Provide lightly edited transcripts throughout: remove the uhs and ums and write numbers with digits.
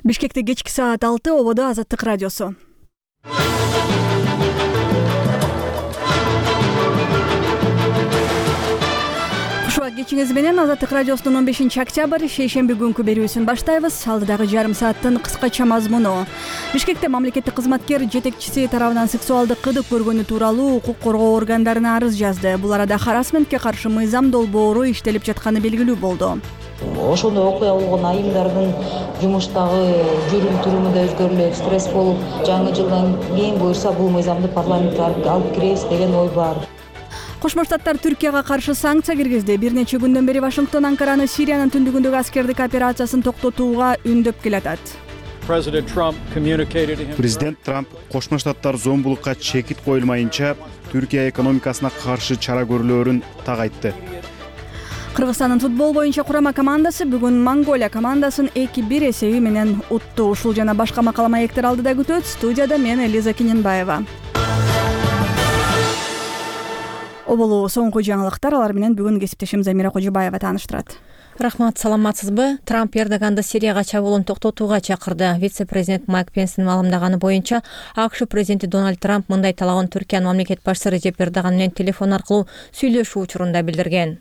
Бишкекте кечки саат 6 ободо Азаттык радиосу. Кушуак кечиңиз менен Азаттык радиосунун 15-октябрь шейшемби күнкү берүүсүн баштайбыз. Алдыдагы жарым сааттын кыскача мазмуну. Бишкекте мамлекеттик кызматкер жетекчиси тарабынан сексуалдык кырдык көргөнү тууралуу укук коргоо органдарына арыз жазды. Бул арада харассментке каршы мыйзам долбоору иштелип жатканы белгилүү болду. Ошондой окуя болгон айымдардын жумуштагы жүрүм-туруму да өзгөрүлөт, стресс болуп, жаңы жылдан кийин буюрса бул мыйзамды парламентке алып киребиз деген ой бар. Кошмо Штаттар Түркияга каршы санкция киргизди. Бир нече күндөн бери Вашингтон Анкараны Сириянын түндүгүндөгү аскердик операциясын токтотууга үндөп келатат. Президент Трамп Кошмо Штаттар зомбулукка чекит коюлмайынча Түркия экономикасына каршы чара көрүлөөрүн так айтты. Кыргызстандын футбол боюнча курама командасы бүгүн Монголия командасын 2-1 эсеби менен утту. Ушул жана башка макала маектер алдыда күтөт. Студияда мен Элиза Кененбаева. Оболу соңку жаңылыктар, алар менен бүгүн кесиптешим Замира Кожобаева тааныштырат. Рахмат, саламатсызбы? Трамп Эрдоганды Сирияга чабуулун токтотууга чакырды. Вице-президент Майк Пенстин маалымдаганы боюнча, АКШ президенти Дональд Трамп мындай талабын Түркиянын мамлекет башчысы Режеп Эрдоган менен телефон аркылуу сүйлөшүү учурунда билдирген.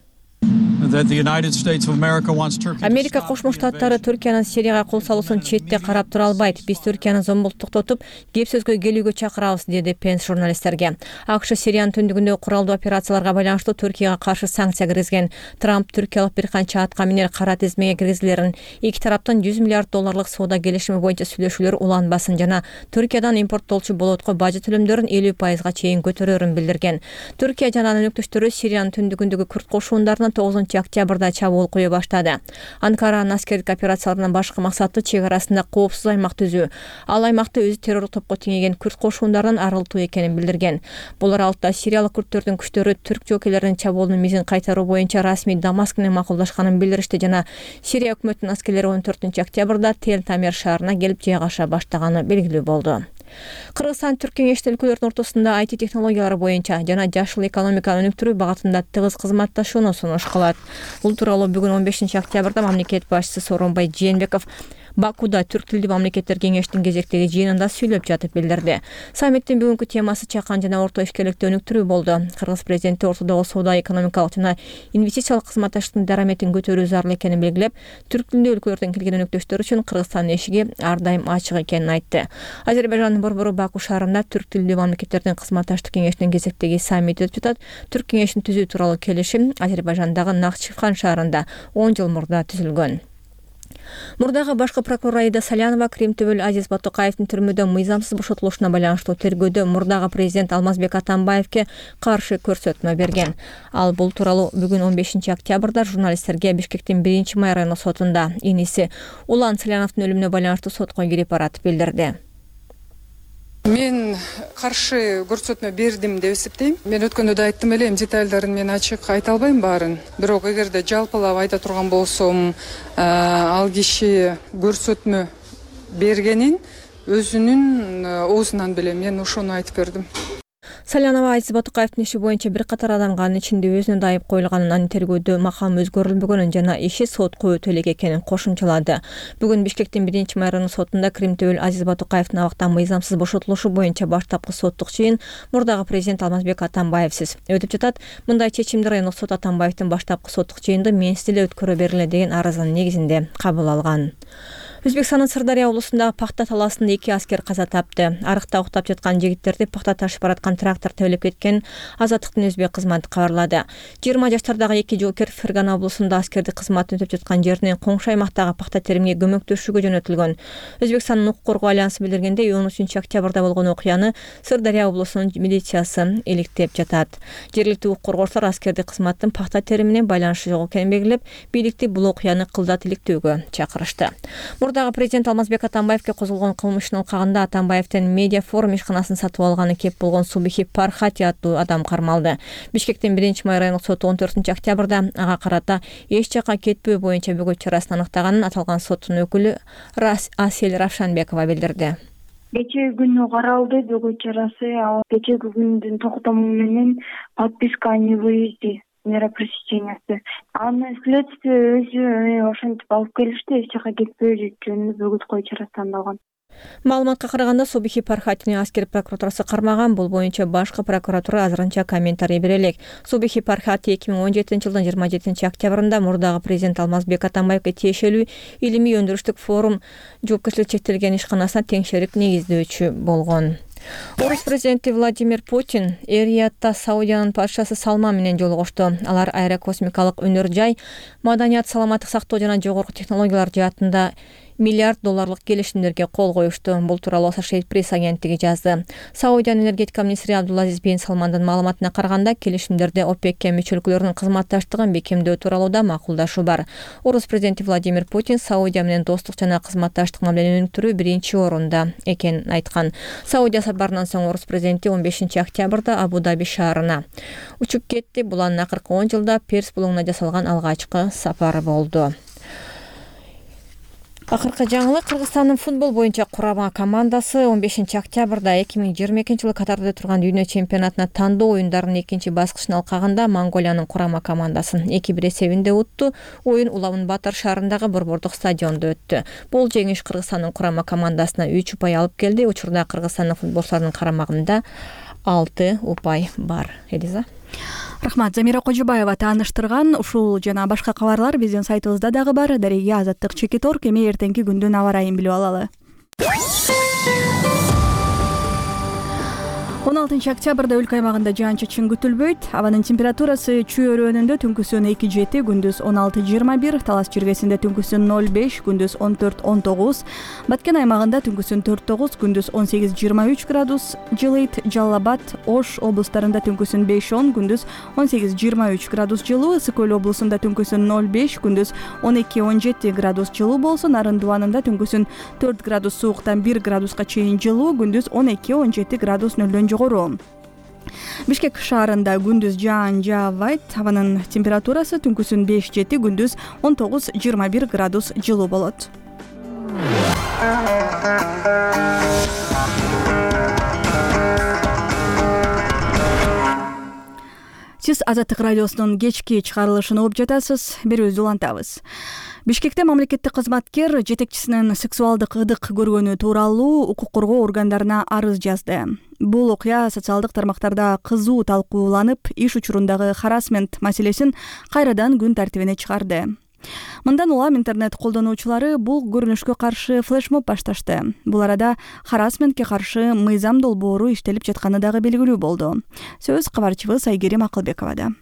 Америка Кошмо Штаттары Түркиянын Сирияга кол салуусун четте карап тура албайт. Биз Түркиянын зомбулукту токтотуп, кеп сөзгө келүүгө чакырабыз, деди Пенс журналисттерге. АКШ Сириянын түндүгүндөгү куралдуу операцияларга байланыштуу Түркияга каршы санкция киргизген. Трамп түркиялык бир канча атка минер кара тизмеге киргизилерин, эки тараптын $100 миллиард соода келишими боюнча сүйлөшүүлөр уланбасын жана Түркиядан импорттолчу болотко бажы төлөмдөрүн 50%га чейин көтөрөөрүн билдирген. Түркия жана анын өнөктөштөрү Сириянын түндүгүндөгү күрд кошуундарына 9-октябрда чабуул кое баштады. Анкаранын аскердик операцияларынын башкы максаты чек арасында коопсуз аймак түзүү. Ал аймакты өзү террорлук топко теңеген күрд кошуундарынан арылтуу экенин билдирген. Бул аралыкта сириялык күрдтөрдүн күчтөрү түрк жокейлеринин чабуулунун мизин кайтаруу боюнча расмий Дамаск менен макулдашканын билдиришти жана Сирия өкмөтүнүн аскерлери 14-октябрда Тел-Тамер шаарына келип жайгаша баштаганы белгилүү болду. Кыргызстан Түрк кеңештин өлкөлөрдүн ортосунда IT технологиялары боюнча жана жашыл экономиканы өнүктүрүү багытында тыгыз кызматташууну сунуш кылат. Бул тууралуу бүгүн 15-октябрда мамлекет башчысы Сооронбай Жээнбеков Бакуда түрк тилдүү мамлекеттер кеңештин кезектеги жыйынында сүйлөп жатып билдирди. Саммиттин бүгүнкү темасы чакан жана орто ишкерликти өнүктүрүү болду. Кыргыз президенти ортодогу соода экономикалык жана инвестициялык кызматташтыктын дараметин көтөрүү зарыл экенин белгилеп, түрк тилдүү өлкөлөрдөн келген өнөктөштөр үчүн Кыргызстандын эшиги ар дайым ачык экенин айтты. Азербайжандын борбору Баку шаарында түрк тилдүү мамлекеттердин кызматташтык кеңешинин кезектеги саммити өтүп жатат. Түрк кеңешин түзүү тууралуу келишим Азербайжандагы Нахчыван шаарында 10 жыл мурда түзүлгөн. Мурдагы башкы прокурор Аида Салянова Кримтөбөл Азиз Батукаевдин түрмөдө мыйзамсыз бошотулушуна байланыштуу тергөөдө мурдагы президент Алмазбек Атамбаевке каршы көрсөтмө берген. Ал бул тууралуу бүгүн 15-октябрда журналисттерге Бишкектин 1-май райондук сотунда иниси Улан Саляновдун өлүмүнө байланыштуу сотко кирип барат билдирди. Мен каршы көрсөтмө бердим деп эсептейм. Мен өткөндө да айттым элем, детальдарын мен ачык айта албайм баарын. Бирок эгерде жалпылап айта турган болсом, ал киши көрсөтмө бергенин өзүнүн оозунан билем. Мен ошону айтып бердим. Салянова Азиз Батукаевдин иши боюнча бир катар адамга анын ичинде өзүнө да айып коюлганын, анын тергөөдө макам өзгөрүлбөгөнүн жана иши сотко өтө элек экенин кошумчалады. Бүгүн Бишкектин 1-май райондук сотунда Кримтөбөл Азиз Батукаевдин абактан мыйзамсыз бошотулушу боюнча баштапкы соттук чыйын мурдагы президент Алмазбек Атамбаевсиз өтүп жатат. Мындай чечимди райондук сот Атамбаевдин баштапкы соттук чыйынды менсиз эле өткөрө бергиле деген арызынын негизинде кабыл алган. Өзбекстандын Сырдария облусундагы пахта талаасында 2 аскер каза тапты. Арыкта уктап жаткан жигиттерди пахта ташып бараткан трактор тебелеп кеткен Азаттыктын өзбек кызматы кабарлады. 20 жаштардагы 2 жоокер Фергана облусунда аскердик кызматын өтөп жаткан жеринен коңшу аймактагы пахта теримге көмөктөшүүгө жөнөтүлгөн. Өзбекстандын укук коргоо альянсы билдиргенде 13-октябрда болгон окуяны Сырдария облусунун милициясы иликтеп жатат. Жергиликтүү укук коргоочулар аскердик кызматтын пахта териминен байланышы жок экенин белгилеп, бийликти бул окуяны кылдат иликтөөгө чакырышты. Мурдагы президент Алмазбек Атамбаевке козголгон кылмыштын ылкагында Атамбаевдин медиа форум ишканасын сатып алганы кеп болгон Субихи Пархати аттуу адам кармалды. Бишкектин 1-май райондук соту 14-октябрда ага карата эч жакка кетпөө боюнча бөгөт чарасын аныктаганын аталган соттун өкүлү Асель Равшанбекова билдирди. Кечээ күнү каралды бөгөт чарасы. Кечээки күндүн токтому менен подписка не выезде мера пресечениясы. Аны следствие өзү ошентип алып келишти, эч жака кетпөө жөнүндө бөгөт кою чарасы тандалган. Маалыматка караганда Субихи Пархатини аскер прокуратурасы кармаган. Бул боюнча башкы прокуратура азырынча комментарий бере элек. Субихи Пархати 2017-жылдын 27-октябрында мурдагы президент Алмазбек Атамбаевге тиешелүү илимий өндүрүштүк форум жоопкерчилиги чектелген ишканасына теңшерик негиздөөчү болгон. Орус президенти Владимир Путин Эр-Риядда Саудиянын падышасы Салман менен жолугушту. Алар аэрокосмикалык өнөр жай, маданият, саламаттык сактоо жана жогорку технологиялар жаатында $1 миллиард келишимдерге кол коюшту. Бул тууралуу Associated Press агенттиги жазды. Саудиянын энергетика министри Абдулазиз бин Салмандын маалыматына караганда, келишимдерде ОПЕК мүчө өлкөлөрдүн кызматташтыгын бекемдөө тууралуу да макулдашуу бар. Орус президенти Владимир Путин Саудия менен достук жана кызматташтык мамилени өнүктүрүү биринчи орунда экенин айткан. Саудия сапарынан соң Орус президенти 15-октябрда Абу-Даби шаарына учуп кетти. Бул анын акыркы 10 жылда Перс булуңуна жасалган алгачкы сапары болду. Акыркы жаңылык: Кыргызстандын футбол боюнча курама командасы 15-октябрда 2022-жылы Катарда турган дүйнө чемпионатына тандоо оюндарынын экинчи баскычын алкагында Монголиянын курама командасын 2-1 эсебинде утту. Оюн Улавын Батар шаарындагы борбордук стадиондо өттү. Бул жеңиш Кыргызстандын курама командасына 3 упай алып келди. Учурда Кыргызстандын футболчуларынын карамагында 6 упай бар. Элиза. Рахмат. Замира Кожобаева тааныштырган. Ушул жана башка кабарлар биздин сайтыбызда дагы бар. Дареге Азаттык Чекитор. Эми эртеңки күндүн аба ырайын билип алалы. 16-октябрда өлкө аймагында жаан-чачын күтүлбөйт. Абанын температурасы Чүй өрөөнүндө түнкүсүн 2-7, күндүз 16-21, Талас жиргесинде түнкүсүн 0-5, күндүз 14-19, Баткен аймагында түнкүсүн 4-9, күндүз 18-23 градус жылыйт. Жалал Абад, Ош облустарында түнкүсүн 5-10, күндүз 18-23 градус жылуу. Ысык Көл облусунда түнкүсүн 0-5, күндүз 12-17 градус жылуу болсун. Нарын Дубанында түнкүсүн 4 градус сууктан 1 градуска чейин жылуу, күндүз 12-17 градус нөлдөн жогору. Бишкек шаарында күндүз жаан жаабайт. Абанын температурасы түнкүсүн 5-7, күндүз 19-21 градус жылуу болот. Сиз Азаттык радиосунун кечки чыгарылышын угуп жатасыз. Берүүбүздү улантабыз. Бишкекте мамлекеттик кызматкер жетекчисинин сексуалдык ыдык көргөнү тууралуу укук коргоо органдарына арыз жазды. Бул окуя социалдык тармактарда кызуу талкууланып, иш учурундагы харассмент маселесин кайрадан күн тартибине чыгарды. Мындан улам интернет колдонуучулары бул көрүнүшкө каршы флешмоб башташты. Бул арада харассментке каршы мыйзам долбоору иштелип жатканы дагы белгилүү болду. Сөз кабарчыбыз Айгерим Акылбековада.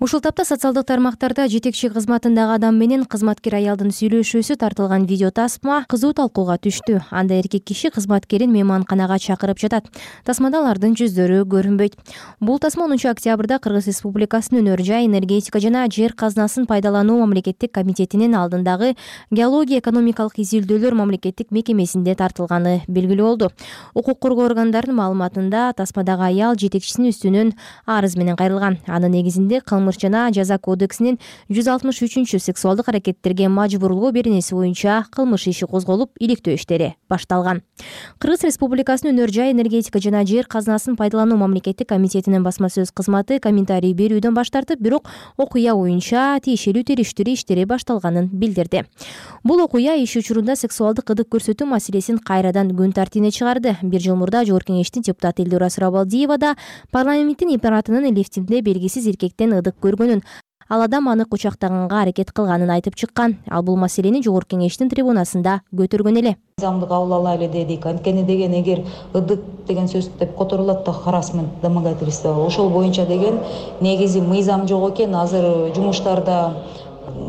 Ушул тапта социалдык тармактарда жетекчи кызматындагы адам менен кызматкер аялдын сүйлөшүүсү тартылган видео тасма кызуу талкууга түштү. Анда эркек киши кызматкерин мейманканага чакырып жатат. Тасмада алардын жүздөрү көрүнбөйт. Бул тасма 10-октябрда Кыргыз Республикасынын өнөр жай, энергетика жана жер казынасын пайдалануу мамлекеттик комитетинин алдындагы геология экономикалык изилдөөлөр мамлекеттик мекемесинде тартылганы белгилүү болду. Укук коргоо органдарынын маалыматында тасмадагы аял жетекчисинин үстүнөн арыз менен кайрылган. Анын негизинде кылмыш жана жаза кодексинин 163 сексуалдык аракеттерге мажбурлоо беренеси боюнча кылмыш иши козголуп, иликтөө иштери башталган. Кыргыз Республикасынын өнөр жай, энергетика жана жер казынасын пайдалануу мамлекеттик комитетинин басма сөз кызматы комментарий берүүдөн баш тартып, бирок окуя боюнча тиешелүү териштирүү иштери башталганын билдирди. Бул окуя иш учурунда сексуалдык ыдык көрсөтүү маселесин кайрадан күн тартибине чыгарды. Бир жыл мурда Жогорку Кеңештин депутаты Элдора Сурабалдиева да парламенттин имаратынын лифтинде белгисиз эркектен ыдык көргөнүн, ал адам аны кучактаганга аракет кылганын айтып чыккан. Ал бул маселени Жогорку Кеңештин трибунасында көтөргөн эле. Мыйзамды кабыл алайлы дедик. Анткени деген эгер ыдык деген сөз деп которулат да харассмент, домогательство, ошол боюнча деген негизи мыйзам жок экен. Азыр жумуштарда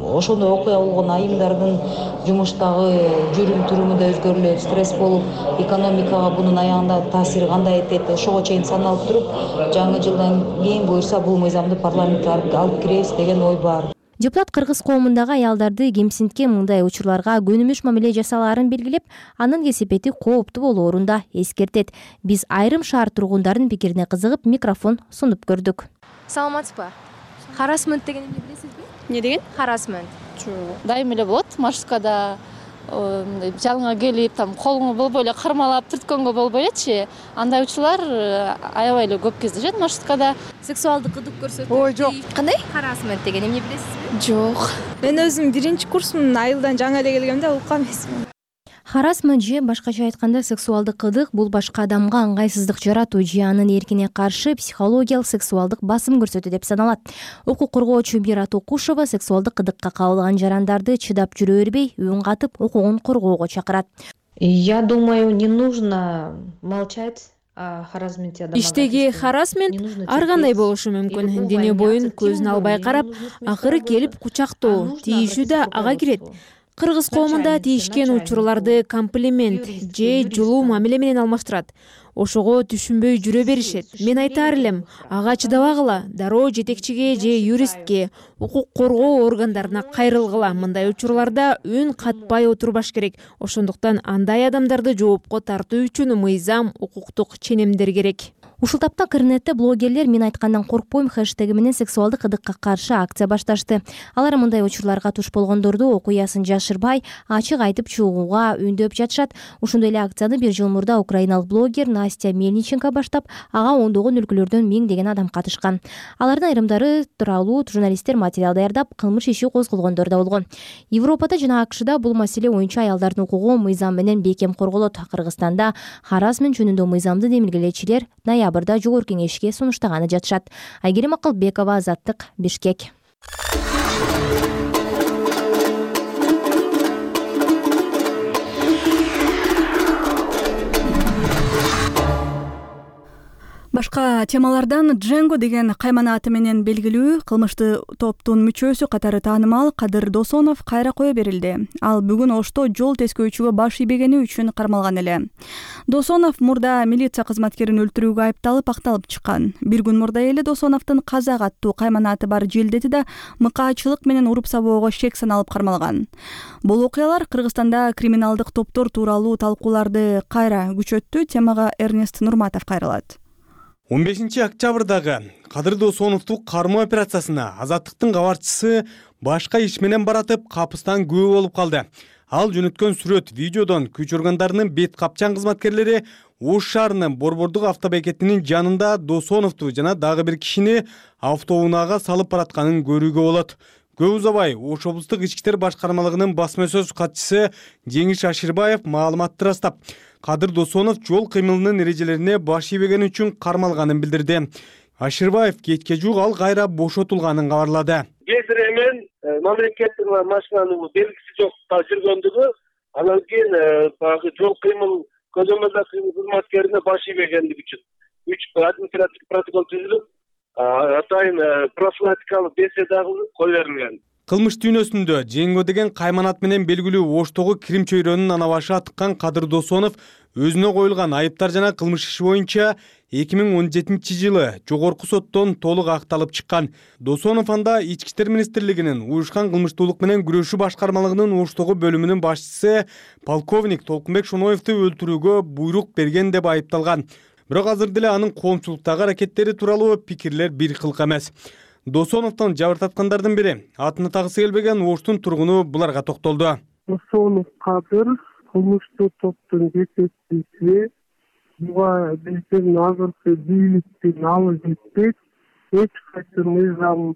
ошондой окуя болгон айымдардын жумуштагы жүрүм туруму да өзгөрүлөт, стресс болуп, экономикага бунун аягында таасири кандай этет, ошого чейин саналып туруп, жаңы жылдан кийин буюрса бул мыйзамды парламентке алып киребиз деген ой бар. Депутат кыргыз коомундагы аялдарды кемсинткен мындай учурларга көнүмүш мамиле жасалаарын белгилеп, анын кесепети кооптуу болоорун да эскертет. Биз айрым шаар тургундарынын пикирине кызыгып, микрофон сунуп көрдүк. Саламатсызбы? Харассмент деген эмне билесизби? Эмне деген? Харассмент. Дайым эле болот. Машскада жалыңа келип, там колуңу болбой эле кармалап түрткөнгө болбойчу. Андай учурлар аябай эле көп кездешет маршруткада. Сексуалдык ылдык көрсөтүү. Ой, жок. Кандай? Харасмент деген эмне билесизби? Жок. Мен өзүм 1-курсмун, айылдан жаңы эле келгемде уккан эмесмин. Харасмент же башкача айтканда сексуалдык ылдык бул башка адамга ыңгайсыздык жаратуу же анын эркине каршы психологиялык сексуалдык басым көрсөтүү деп саналат. Укук коргоочу Мират Окушева сексуалдык ылдыкка кабылган жарандарды чыдап жүрө бербей, үн катып, укугун коргоого чакырат. Я думаю, не нужно молчать. Иштеги харасмент ар кандай болушу мүмкүн. Дене боюн көзүн албай карап, акыры келип кучактоо, тийишүү да ага кирет. Кыргыз коомунда тийишкен учурларды комплимент же жулуу мамиле менен алмаштырат. Ошого түшүнбөй жүрө беришет. Мен айтаар элем, ага чыдабагыла, дароо жетекчиге же юристке, укук коргоо органдарына кайрылгыла. Мындай учурларда үн катпай отурбаш керек. Ошондуктан андай адамдарды жоопко тартуу үчүн мыйзам, укуктук ченемдер керек. Ушул тапта интернетте блогерлер "мен айткандан коркпойм" хэштеги менен сексуалдык ылдыкка каршы акция башташты. Алар мындай учурларга туш болгондорду окуясын жашырбай, ачык айтып чыгууга үндөп жатышат. Ушундай эле акцияны 1 жыл мурда украиналык блогер Настя Мельниченко баштап, ага ондогон өлкөлөрдөн 1000 адам катышкан. Алардын айрымдары тууралуу журналисттер материал даярдап, кылмыш иши козголгондор да болгон. Европада жана АКШда бул маселе боюнча аялдардын укугу мыйзам менен бекем корголот. Кыргызстанда харасмент жөнүндө мыйзамды демилгелечилер ноябрда жогорку кеңешке сунуштаганы жатышат. Айгерим Акылбекова, Азаттык, Бишкек. Башка темалардан Дженго деген каймана аты менен белгилүү кылмыштуу топтун мүчөсү катары таанымал Кадыр Досонов кайра кое берилди. Ал бүгүн Ошто жол тескөөчүгө баш ийбегени үчүн кармалган эле. Досонов мурда милиция кызматкерин өлтүрүүгө айыпталып акталып чыккан. Бир күн мурда эле Досоновдун Казак аттуу каймана аты бар желдети да мыкаачылык менен уруп сабоого шек саналып кармалган. Бул окуялар Кыргызстанда криминалдык топтор тууралуу талкууларды кайра күчөттү. Темага Эрнест Нурматов кайрылат. 15 октябрдагы Кадыр Досоновду кармоо операциясына Азаттыктын кабарчысы башка иш менен баратып капыстан күбө болуп калды. Ал жөнөткөн сүрөт видеодон күч органдарынын бет капчан кызматкерлери Ош шаарынын Борбордук автобекетинин жанында Досоновду жана дагы бир кишини автоунаага салып баратканын көрүүгө болот. Көп узабай Ош облустук ички иштер башкармалыгынын басма сөз катчысы Жеңиш Аширбаев маалыматты ырастап, Кадыр Досонов жол кыймылынын эрежелерине баш ийбегени үчүн кармалганын билдирди. Аширбаев кечке жуук ал кайра бошотулганын кабарлады. Кесир эмен мамлекеттин машинанын белгиси жок жүргөндүгү, анан кийин баягы жол кыймыл көзөмөлдөө кызматкерине баш ийбегендиги үчүн 3 административдик протокол түзүлүп, атайын профилактикалык беседа кое берилген. Кылмыш дүйнөсүндө Жеңго деген кайманат менен белгилүү Оштогу Крим чөйрөнүн ана башы атыккан Кадыр Досонов өзүнө коюлган айыптар жана кылмыш иши боюнча 2017-жылы жогорку соттон толук акталып чыккан. Досонов анда Ички иштер министрлигинин уюшкан кылмыштуулук менен күрөшүү башкармалыгынын Оштогу бөлүмүнүн башчысы полковник Толкунбек Шоноевду өлтүрүүгө буйрук берген деп айыпталган. Бирок азыр деле анын коомчулуктагы аракеттери тууралуу пикирлер бир кылк эмес. Досоновдон жабыртаткандардын бири атыны тагысы келбеген Оштун тургуну буларга токтолду. Досонов Кадыр кылмыштуу топтун жетекчиси, буга биздин азыркы бийликтин алы жетпейт. Эч кайсы мыйзам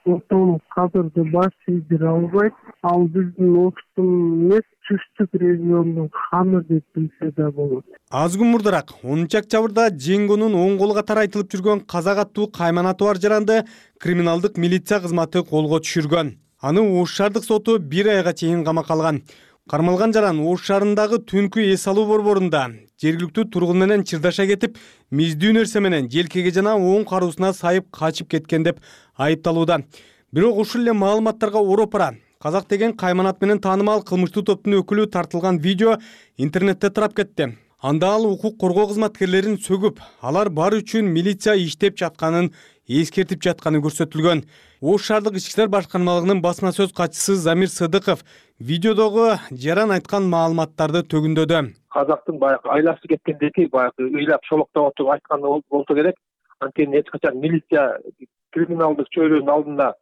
Досонов Кадырды баш ийдире албайт. Ал биздин Оштун эмес, түштүк региондун ханы деп билсе да болот. Аз күн мурдараак 10 октябрда Жеңгонун оң колу катары айтылып жүргөн Казак аттуу кайманаты бар жаранды криминалдык милиция кызматы колго түшүргөн. Аны Ош шаардык соту 1 айга чейин камакка алган. Кармалган жаран Ош шаарындагы түнкү эс алуу борборунда жергиликтүү тургун менен чырдаша кетип, миздүү нерсе менен желкеге жана оң кароосуна сайып качып кеткен деп айыпталууда. Бирок ушул эле маалыматтарга ороопара Казак деген кайманат менен таанымал кылмыштуу топтун өкүлү тартылган видео интернетте тарап кетти. Анда ал укук коргоо кызматкерлерин сөгүп, алар бар үчүн милиция иштеп жатканын эскертип жатканы көрсөтүлгөн. Ош шаардык ички иштер башкармалыгынын басма сөз катчысы Замир Сыдыков видеодогу жаран айткан маалыматтарды төгүндөдү. Казактын баягы айласы кеткендеги баягы ыйлап шолоктоп отуруп айтканы болсо керек. Анткени эч качан милиция криминалдык чөйрөнүн алдында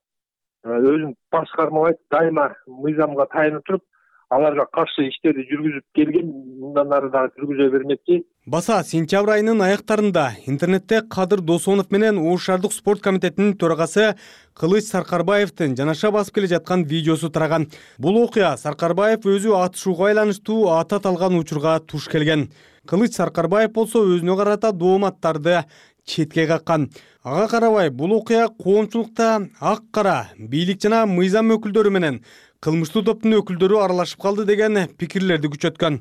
өзүн башкармабайт, дайыма мыйзамга таянып туруп, аларга каршы иштерди жүргүзүп келген, мындан ары дагы жүргүзө бермекчи. Баса сентябрь айынын аяктарында интернетте Кадыр Досонов менен Ош шаардык спорт комитетинин төрагасы Кылыч Саркарбаевдин жанаша басып келе жаткан видеосу тараган. Бул окуя Саркарбаев өзү атышууга байланыштуу атат алган учурга туш келген. Кылыч Саркарбаев болсо өзүнө карата дооматтарды четке каккан. Ага карабай бул окуя коомчулукта ак кара бийлик жана мыйзам өкүлдөрү менен кылмыштуу топтун өкүлдөрү аралашып калды деген пикирлерди күчөткөн.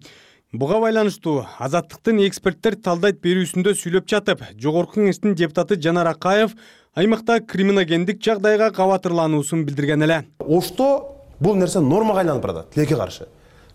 Буга байланыштуу Азаттыктын эксперттер талдайт берүүсүндө сүйлөп жатып, Жогорку Кеңештин депутаты Жанар Акаев аймакта криминогендик жагдайга кабатырлануусун билдирген эле. Ошто бул нерсе нормага айланып барат, тилекке каршы.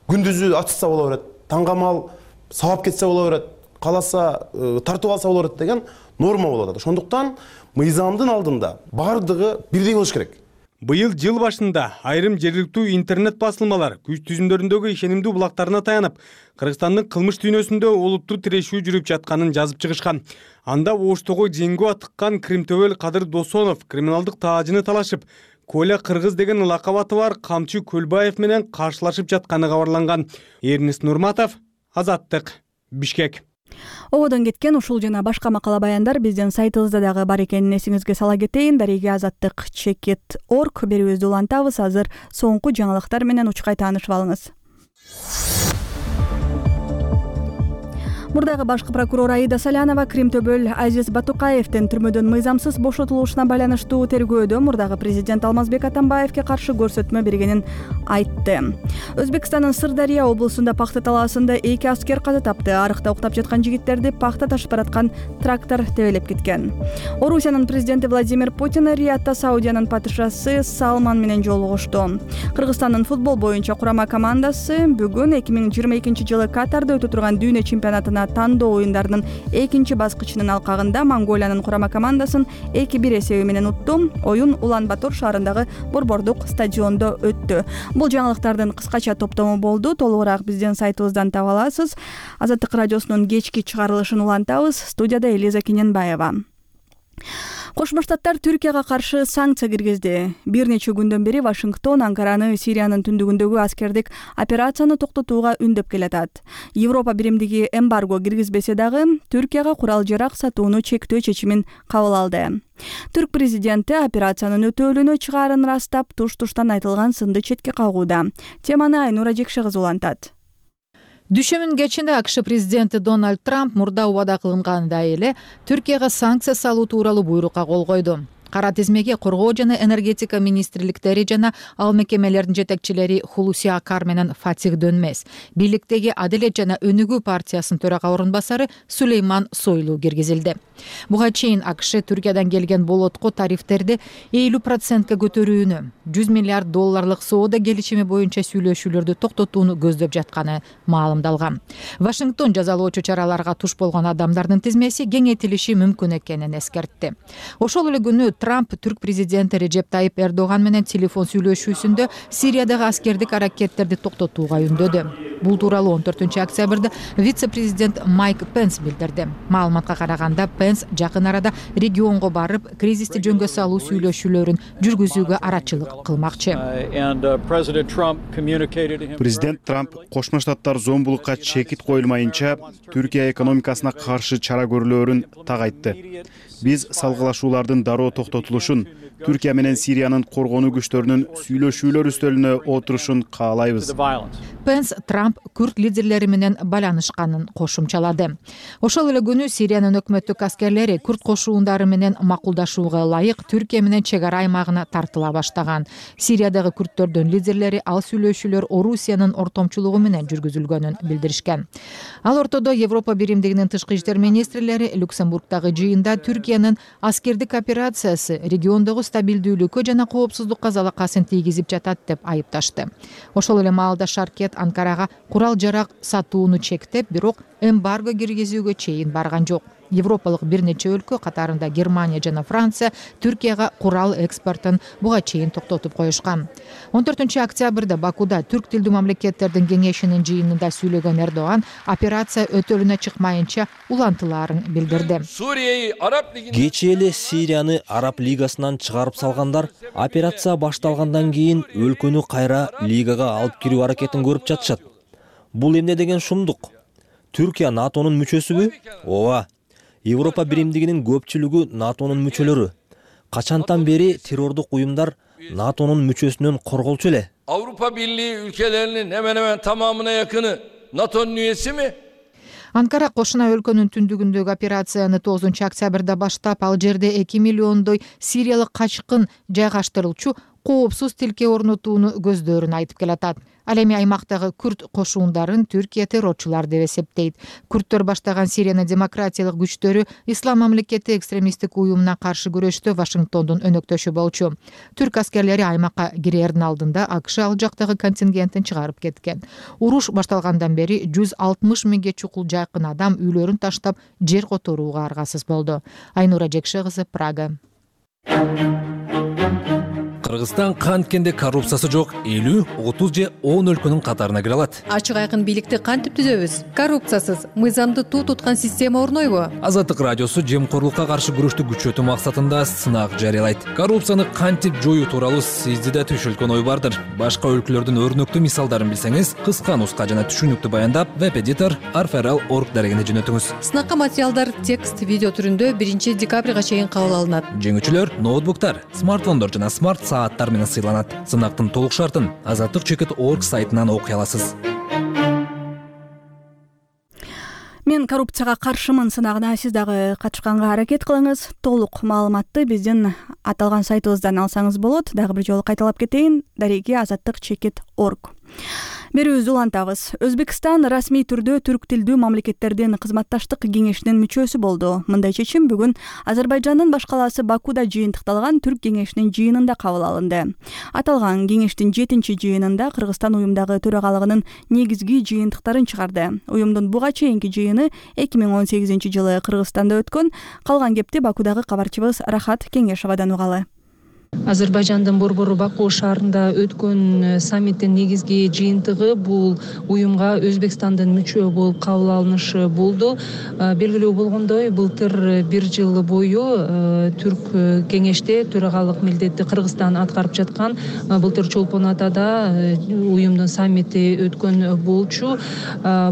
Күндүзү атышса боло берет, таңгамал сабап кетсе боло берет, каласа тартып алса боло берет деген норма болуп атат. Ошондуктан мыйзамдын алдында бардыгы бирдей болуш керек. Быйыл жыл башында айрым жергиликтүү интернет басылмалар күч түзүмдөрүндөгү ишенимдүү булактарына таянып, Кыргызстандын кылмыш дүйнөсүндө олуттуу тирешүү жүрүп жатканын жазып чыгышкан. Анда Оштогу жеңгүү атыккан Кримтөбөл Кадыр Досонов криминалдык таажыны талашып, Коля Кыргыз деген лакап аты бар Камчы Көлбаев менен каршылашып жатканы кабарланган. Эрнест Нурматов, Азаттык, Бишкек. Ободон кеткен ушул жана башка макала баяндар биздин сайтыбызда дагы бар экенин эсиңизге сала кетейин. Дареге Азаттык chekit.org берүүбүздү улантабыз. Азыр соңку жаңылыктар менен учкай таанышып алыңыз. Мурдагы башкы прокурор Аида Салянова Кримтөбөл Азиз Батукаевдин түрмөдөн мыйзамсыз бошотулушуна байланыштуу тергөөдө мурдагы президент Алмазбек Атамбаевге каршы көрсөтмө бергенин айтты. Өзбекстандын Сырдария облусунда пахта талаасында 2 аскер каза тапты. Арыкта уктап жаткан жигиттерди пахта ташып бараткан трактор тебелеп кеткен. Орусиянын президенти Владимир Путин Риядда Саудиянын падышасы Салман менен жолугушту. Кыргызстандын футбол боюнча курама командасы бүгүн 2022 жылы Катарда өтө турган дүйнө чемпионатына тандоо оюндарынын 2 баскычынын алкагында Монголиянын курама командасын 2-1 эсеби менен утту. Оюн Улан-Батор шаарындагы Борбордук стадиондо өттү. Бул жаңылыктардын кыскача топтому болду. Толугураак биздин сайтыбыздан таба аласыз. Азаттык радиосунун кечки чыгарылышын улантабыз. Студияда Элиза Кененбаева. Кошмо Штаттар Түркияга каршы санкция киргизди. Бир нече күндөн бери Вашингтон Анкараны Сириянын түндүгүндөгү аскердик операцияны токтотууга үндөп келатат. Европа биримдиги эмбарго киргизбесе дагы Түркияга курал-жарак сатууну чектөө чечимин кабыл алды. Түрк президенти операциянын өтөөлүүнө чыгаарын ырастап, туш-туштан айтылган сынды четке кагууда. Теманы Айнура Жекше кызы улантат. Дүшөмүн кечинде АКШ президенти Дональд Трамп мурда убада кылынгандай эле Түркияга санкция салуу тууралуу буйрукка кол койду. Кара тизмеге коргоо жана энергетика министрликтери жана ал мекемелердин жетекчилери Хулуси Акар менен Фатих Дөнмес, бийликтеги Адилет жана Өнүгүү партиясынын төрага орун басары Сулейман Сойлу киргизилди. Буга чейин АКШ Түркиядан келген болотко тарифтерди 50%ка көтөрүүнү, 100 миллиард долларлык соода келишими боюнча сүйлөшүүлөрдү токтотууну көздөп жатканы маалымдалган. Вашингтон жазалоочу чараларга туш болгон адамдардын тизмеси кеңейтилиши мүмкүн экенин эскертти. Ошол эле күнү Трамп түрк президенти Режеп Тайип Эрдоган менен телефон сүйлөшүүсүндө Сириядагы аскердик аракеттерди токтотууга үндөдү. Бул тууралуу 14 октябрда вице-президент Майк Пенс билдирди. Маалыматка караганда Пенс жакын арада регионго барып, кризисти жөнгө салуу сүйлөшүүлөрүн жүргүзүүгө арачылык кылмакчы. Президент Трамп Кошмо Штаттар зомбулукка чекит коюлмайынча Түркия экономикасына каршы чара көрүлөөрүн так айтты. Биз салгылашуулардын дароо токтотулушун, Түркия менен Сириянын коргонуу күчтөрүнүн сүйлөшүүлөр үстөлүнө отурушун каалайбыз. Пенс Трамп күрд лидерлери менен байланышканын кошумчалады. Ошол эле күнү Сириянын өкмөттүк аскерлери күрд кошуундары менен макулдашууга ылайык Түркия менен чек ара аймагына тартыла баштаган. Сириядагы күрдтөрдүн лидерлери ал сүйлөшүүлөр Орусиянын ортомчулугу менен жүргүзүлгөнүн билдиришкен. Ал ортодо Европа биримдигинин тышкы иштер министрлери Люксембургдагы жыйында Түркиянын аскердик операциясы региондогу стабилдүүлүккө жана коопсуздукка залакасын тийгизип жатат деп айыпташты. Ошол эле маалда Шаркет Анкарага курал-жарак сатууну чектеп, бирок эмбарго киргизүүгө чейин барган жок. Европалык бир нече өлкө, катарында Германия жана Франция, Түркияга курал экспортун буга чейин токтотуп коюшкан. 14 октябрда Бакуда түрк тилдүү мамлекеттердин кеңешинин жыйынында сүйлөгөн Эрдоган операция өтөлүнө чыкмайынча улантылаарын билдирди. Кечээ эле Сирияны Араб лигасынан чыгарып салгандар операция башталгандан кийин өлкөнү кайра лигага алып кирүү аракетин көрүп жатышат. Бул эмне деген шумдук? Түркия НАТОнун мүчөсүбү? Ооба. Европа биримдигинин көпчүлүгү НАТОнун мүчөлөрү. Качантан бери террордук уюмдар НАТОнун мүчөсүнөн корголчу эле. Avrupa Birliği ülkelerinin hemen hemen tamamına yakını NATO'nun üyesi mi? Анкара кошуна өлкөнүн түндүгүндөгү операцияны 9 октябрда баштап, ал жерде 2 миллиондой сириялык качкын жайгаштырылчу коопсуз тилке орнотууну көздөрүн айтып келатат. Ал эми аймактагы күрд кошуундарын Түркия террорчулар деп эсептейт. Күрдтөр баштаган Сириянын демократиялык күчтөрү Ислам мамлекети экстремисттик уюмуна каршы күрөштө Вашингтондун өнөктөшү болчу. Түрк аскерлери аймакка кирердин алдында АКШ ал жактагы контингентин чыгарып кеткен. Уруш башталгандан бери 160 миңге чукул жайкын адам үйлөрүн таштап жер которууга аргасыз болду. Айнура Жекше кызы, Прага. Кыргызстан канткенде коррупциясы жок 50, 30 же 10 өлкөнүн катарына кире алат. Ачык айкын бийликти кантип түзөбүз? Коррупциясыз, мыйзамды туу туткан система орнойбу? Азаттык радиосу жемкорлукка каршы күрөштү күчөтүү максатында сынак жарыялайт. Коррупцияны кантип жоюу тууралуу сизде да түшүлгөн ой бардыр. Башка өлкөлөрдүн өрнөктүү мисалдарын билсеңиз, кыска нуска жана түшүнүктүү баяндап, веб-эдитор arferal.org дарегине жөнөтүңүз. Сынакка материалдар текст, видео түрүндө 1 декабрга чейин кабыл алынат. Жеңүүчүлөр ноутбуктар, смартфондор жана смарт сааттар менен сыйланат. Сынактын толук шартын azatlyk.org сайтынан окуй аласыз. Мен коррупцияга каршымын сынагына сиз дагы катышканга аракет кылыңыз. Толук маалыматты биздин аталган сайтыбыздан алсаңыз болот. Дагы бир жолу кайталап кетейин: azatlyk.org. Берүүбүздү улантабыз. Өзбекстан расмий түрдө түрк тилдүү мамлекеттердин кызматташтык кеңешинин мүчөсү болду. Мындай чечим бүгүн Азербайжандын баш калаасы Бакуда жыйынтыкталган түрк кеңешинин жыйынында кабыл алынды. Аталган кеңештин 7-чи жыйынында Кыргызстан уюмдагы төрагалыгынын негизги жыйынтыктарын чыгарды. Уюмдун буга чейинки жыйыны 2018-жылы Кыргызстанда өткөн. Калган кепти Бакудагы кабарчыбыз Рахат Кеңешовадан угалы. Азербайжандын борбору Баку шаарында өткөн саммиттин негизги жыйынтыгы бул уюмга Өзбекстандын мүчө болуп кабыл алынышы болду. Белгилүү болгондой, былтыр 1 жыл бою түрк кеңеште төрагалык милдетти Кыргызстан аткарып жаткан. Былтыр Чолпон Атада уюмдун саммити өткөн болчу.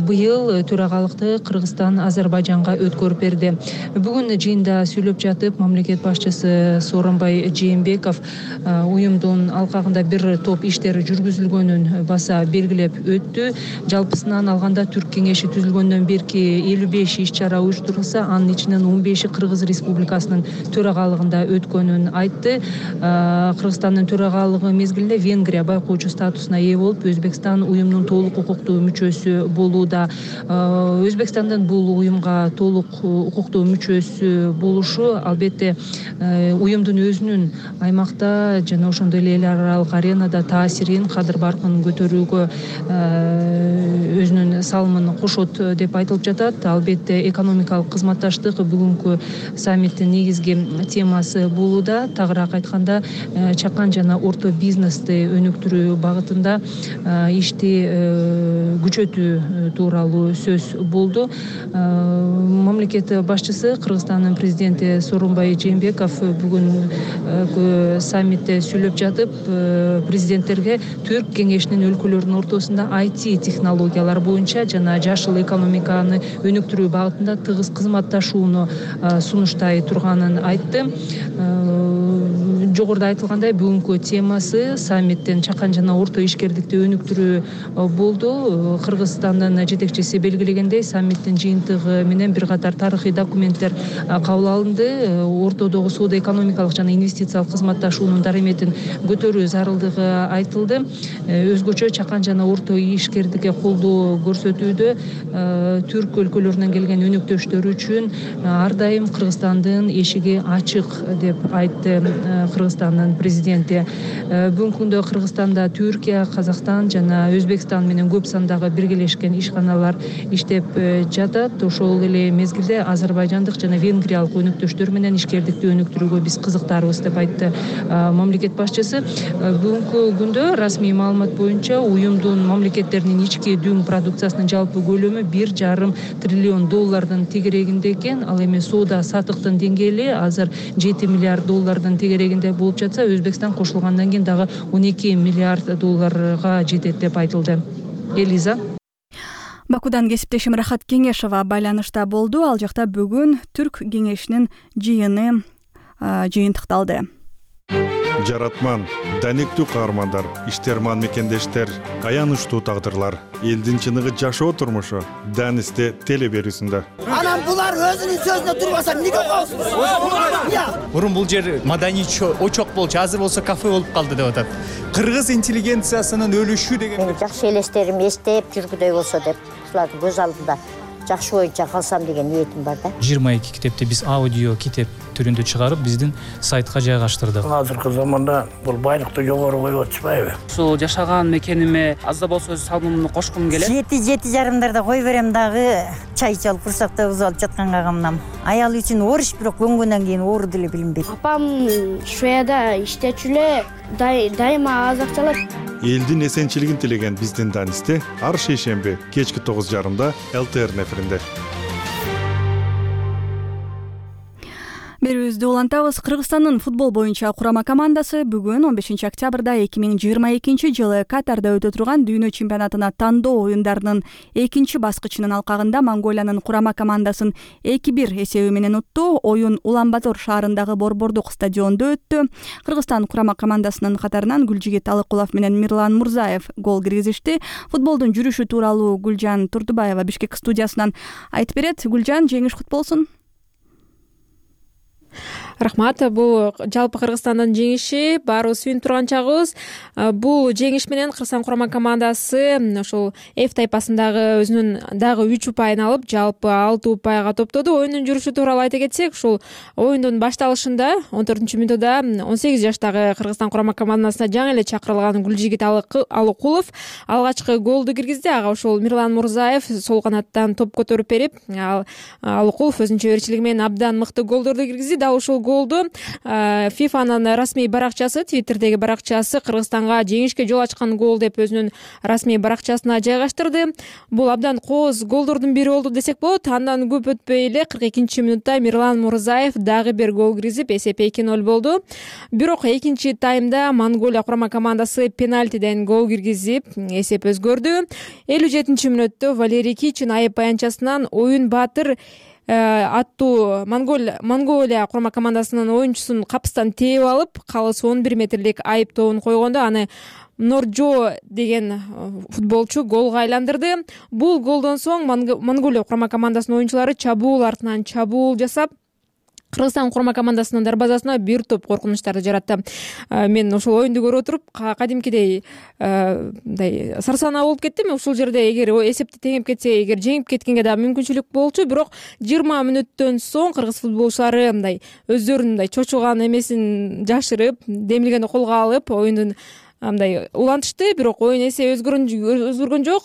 Быйыл төрагалыкты Кыргызстан Азербайжанга өткөрүп берди. Бүгүн жыйында сүйлөп жатып, мамлекет башчысы Сооронбай Жээнбеков уюмдун алкагында бир топ иштер жүргүзүлгөнүн баса белгилеп өттү. Жалпысынан алганда түрк кеңеши түзүлгөндөн берки 55 иш-чара уюштурулса, анын ичинен 15-и Кыргыз Республикасынын төрагалыгында өткөнүн айтты. Кыргызстандын төрагалыгы мезгилинде Венгрия байкоочу статусуна ээ болуп, Өзбекстан уюмдун толук укуктуу мүчөсү болууда. Өзбекстандын бул уюмга толук укуктуу мүчөсү болушу албетте уюмдун өзүнүн аймакта жана ошондой эле эл аралык аренада таасирин, кадыр баркын көтөрүүгө өзүнүн салымын кошот деп айтылып жатат. Албетте экономикалык кызматташтык бүгүнкү саммиттин негизги темасы болууда. Тагыраак айтканда, чакан жана орто бизнести өнүктүрүү багытында ишти күчөтүү тууралуу сөз болду. Мамлекет башчысы, Кыргызстандын президенти Сооронбай Жээнбеков бүгүн саммитте сүйлөп жатып, президенттерге түрк кеңешинин өлкөлөрүнүн ортосунда IT технологиялар боюнча жана жашыл экономиканы өнүктүрүү багытында тыгыз кызматташууну сунуштай турганын айтты. Жогоруда айтылгандай, бүгүнкү темасы саммиттин чакан жана орто ишкердикти өнүктүрүү болду. Кыргызстандын жетекчиси белгилегендей, саммиттин жыйынтыгы менен бир катар тарыхый документтер кабыл алынды. Ортодогу соода экономикалык жана инвестициялык кызматташуунун дарыметин көтөрүү зарылдыгы айтылды. Өзгөчө чакан жана орто ишкердикке колдоо көрсөтүүдө түрк өлкөлөрүнөн келген өнөктөштөр үчүн ар дайым Кыргызстандын эшиги ачык деп айтты Кыргызстандын президенти. Бүгүнкү күндө Кыргызстанда Түркия, Казакстан жана Өзбекстан менен көп сандагы биргелешкен ишканалар иштеп жатат. Ошол эле мезгилде азербайжандык жана венгриялык өнөктөштөр менен ишкердикти өнүктүрүүгө биз кызыктарбыз деп айтты мамлекет башчысы. Бүгүнкү күндө расмий маалымат боюнча уюмдун мамлекеттеринин ички дүң продукциясынын жалпы көлөмү 1,5 триллион доллардын тегерегинде экен. Ал эми соода сатыктын деңгээли азыр 7 миллиард доллардын тегерегинде болуп жатса, Өзбекстан кошулгандан кийин дагы 12 миллиард долларга жетет деп айтылды. Элиза. Бакудан кесиптешим Рахат Кеңешова байланышта болду. Ал жакта бүгүн Түрк кеңешинин жыйынтыкталды. Жаратман, даниктүү каармандар, иштерман мекендештер, аянычтуу тагдырлар, элдин чыныгы жашоо турмушу Данисте теле берүүсүндө. Анан булар өзүнүн сөзүнө турбаса эмнеге коесуз? Мурун бул жер маданий очок болчу, азыр болсо кафе болуп калды деп атат. Кыргыз интеллигенциясынын өлүшү деген. Жакшы элестерим эстеп жүргүдөй болсо деп, ушулардын көз алдында жакшы боюнча калсам деген ниетим бар да. 22 китепти биз аудио китеп түрүндө чыгарып, биздин сайтка жайгаштырдык. Азыркы заманда бул байлыкты жогору коюп атышпайбы? Ушул жашаган мекениме аз да болсо өз салымымды кошкум келет. 7:30 кой берем дагы чай чалып курсактабыз алып жатканга камнам. Аял үчүн оор иш, бирок көнгөндөн кийин оору деле билинбейт. Апам Шведияда иштечү эле, дайыма аз акча алат. Элдин эсенчилигин тилеген биздин Данисте ар шейшемби кечки 9:30 ЛТР неферинде. Берүүбүздү улантабыз. Кыргызстандын футбол боюнча курама командасы бүгүн 15 октябрда 2022 жылы Катарда өтө турган дүйнө чемпионатына тандоо оюндарынын экинчи баскычынын алкагында Монголиянын курама командасын 2-1 эсеби менен утту. Оюн Улан-Батор шаарындагы Борбордук стадиондо өттү. Кыргызстан курама командасынын катарынан Гүлжигит Алыкулов менен Мирлан Мурзаев гол киргизишти. Футболдун жүрүшү тууралуу Гүлжан Турдубаева Бишкек студиясынан айтып берет. Гүлжан, жеңиш кут болсун. Рахмат. Бул жалпы Кыргызстандын жеңиши, баарыбыз сүйүнүп турган чагыбыз. Бул жеңиш менен Кыргызстан курама командасы ошол F тайпасындагы өзүнүн дагы 3 упайын алып, жалпы 6 упайга топтоду. Оюндун жүрүшү тууралуу айта кетсек, ушул оюндун башталышында 14-мүнөттө 18 жаштагы Кыргызстан курама командасына жаңы эле чакырылган Гүлжигит Алыкулов алгачкы голду киргизди. Ага ошол Мирлан Мурзаев сол канаттан топ көтөрүп берип, Алыкулов өзүнчө эрчилиги менен абдан мыкты голдорду киргизди. Дал ушул голду ФИФАнын расмий баракчасы, Твиттердеги баракчасы Кыргызстанга жеңишке жол ачкан гол деп өзүнүн расмий баракчасына жайгаштырды. Бул абдан кооз голдордун бири болду десек болот. Андан көп өтпөй эле 42-мүнөттө Мирлан Мурзаев дагы бир гол киргизип, эсеп 2-0 болду. Бирок экинчи таймда Монголия курама командасы пенальтиден гол киргизип, эсеп өзгөрдү. 57-мүнөттө Валерий Кичин айып аянтчасынан Оюн Баатыр аттуу Монголия курама командасынын оюнчусун капыстан тээп алып, калыс 11 метрлик айып тобун койгондо аны Норджо деген футболчу голго айландырды. Бул голдон соң Монголия курама командасынын оюнчулары чабуул артынан чабуул жасап, Кыргызстан курама командасынын дарбазасына бир топ коркунучтарды жаратты. Мен ошол оюнду көрүп отуруп, кадимкидей сарсанаа болуп кеттим. Ушул жерде эгер эсепти теңеп кетсе, эгер жеңип кеткенге да мүмкүнчүлүк болчу, бирок 20 мүнөттөн соң кыргыз футболчулары өздөрүнүн чочуган эмесин жашырып, демилгени колго алып, оюндун улантышты. Бирок оюн эсеби өзгөргөн жок.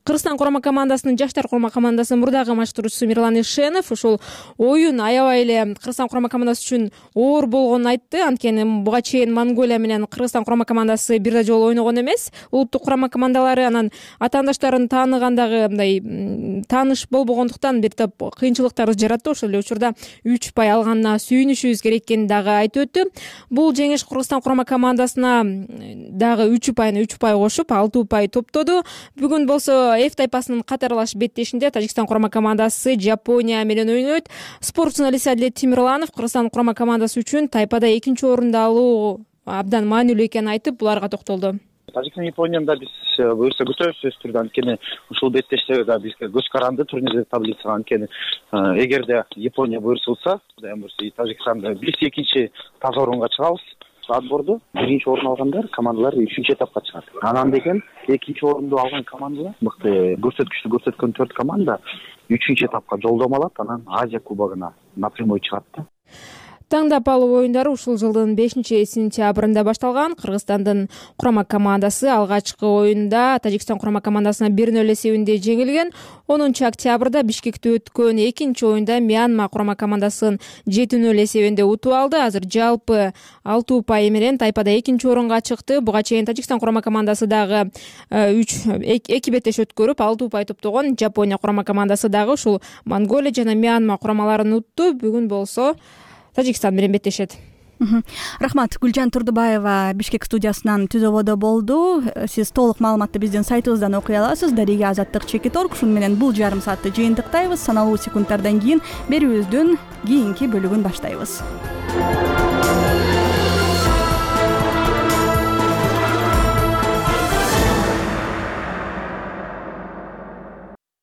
Кыргызстан курама командасынын жаштар курама командасынын мурдагы маштуруусу Мирлан Ишенов ушул оюн аябай эле Кыргызстан курама командасы үчүн оор болгонун айтты. Анткени буга чейин Монголия менен Кыргызстан курама командасы бир да жолу ойногон эмес. Улуттук курама командалары анан атаандаштарын тааныгандагы тааныш болбогондуктан бир топ кыйынчылыктарды жаратты. Ошол эле учурда 3 упай алганына сүйүнүшүбүз керек экенин дагы айтып өттү. Бул жеңиш Кыргызстан курама командасына дагы 3 упай кошуп 6 упай топтоду. Бүгүн болсо F тайпасынын катарлаш беттешинде Тажикстан курама командасы Жапония менен ойнойт. Спорт журналисти Адилет Тимирланов Кыргызстан курама командасы үчүн тайпада экинчи орунду алуу абдан маанилүү экенин айтып, буларга токтолду. Тажикстан Японияны да биз буюрса күтөбүз сөзсүз түрдө. Анткени ушул беттеште да бизге көз каранды турнирдеги таблицага. Анткени эгерде Япония буюрсулса, Кудай буюрса, Тажикстанда биз экинчи таза орунга чыгабыз. Отборду биринчи орун алгандар командалар 3-этапка чыгат. Анан деген экинчи орунду алган командалар мыкты көрсөткүчтү көрсөткөн 4 команда 3-этапка жолдомо алат, анан Азия кубогуна напрямой чыгат. Таңдап алуу оюндары ушул жылдын 5-сентябрында башталган. Кыргызстандын курама командасы алгачкы оюнда Тажикстан курама командасына 1-0 эсебинде жеңилген. 10-октябрда Бишкекте өткөн экинчи оюнда Мьянма курама командасын 7-0 эсебинде утуп алды. Азыр жалпы 6 упай менен тайпада экинчи орунга чыкты. Буга чейин Тажикстан курама командасы дагы 2 беттеш өткөрүп 6 упай топтогон. Жапония курама командасы дагы ушул Монголия жана Мьянма курамаларын утту. Бүгүн болсо Тажикстан менен беттешет. Рахмат. Гүлжан Турдубаева Бишкек студиясынан түзөбодо болду. Сиз толук маалыматты биздин сайтыбыздан окуй аласыз. Дарига Азаттык Чекит.org. Шуну менен бул жарым саатты жыйынтыктайбыз. Саналуу секундтардан кийин берүүбүздүн кийинки бөлүгүн баштайбыз.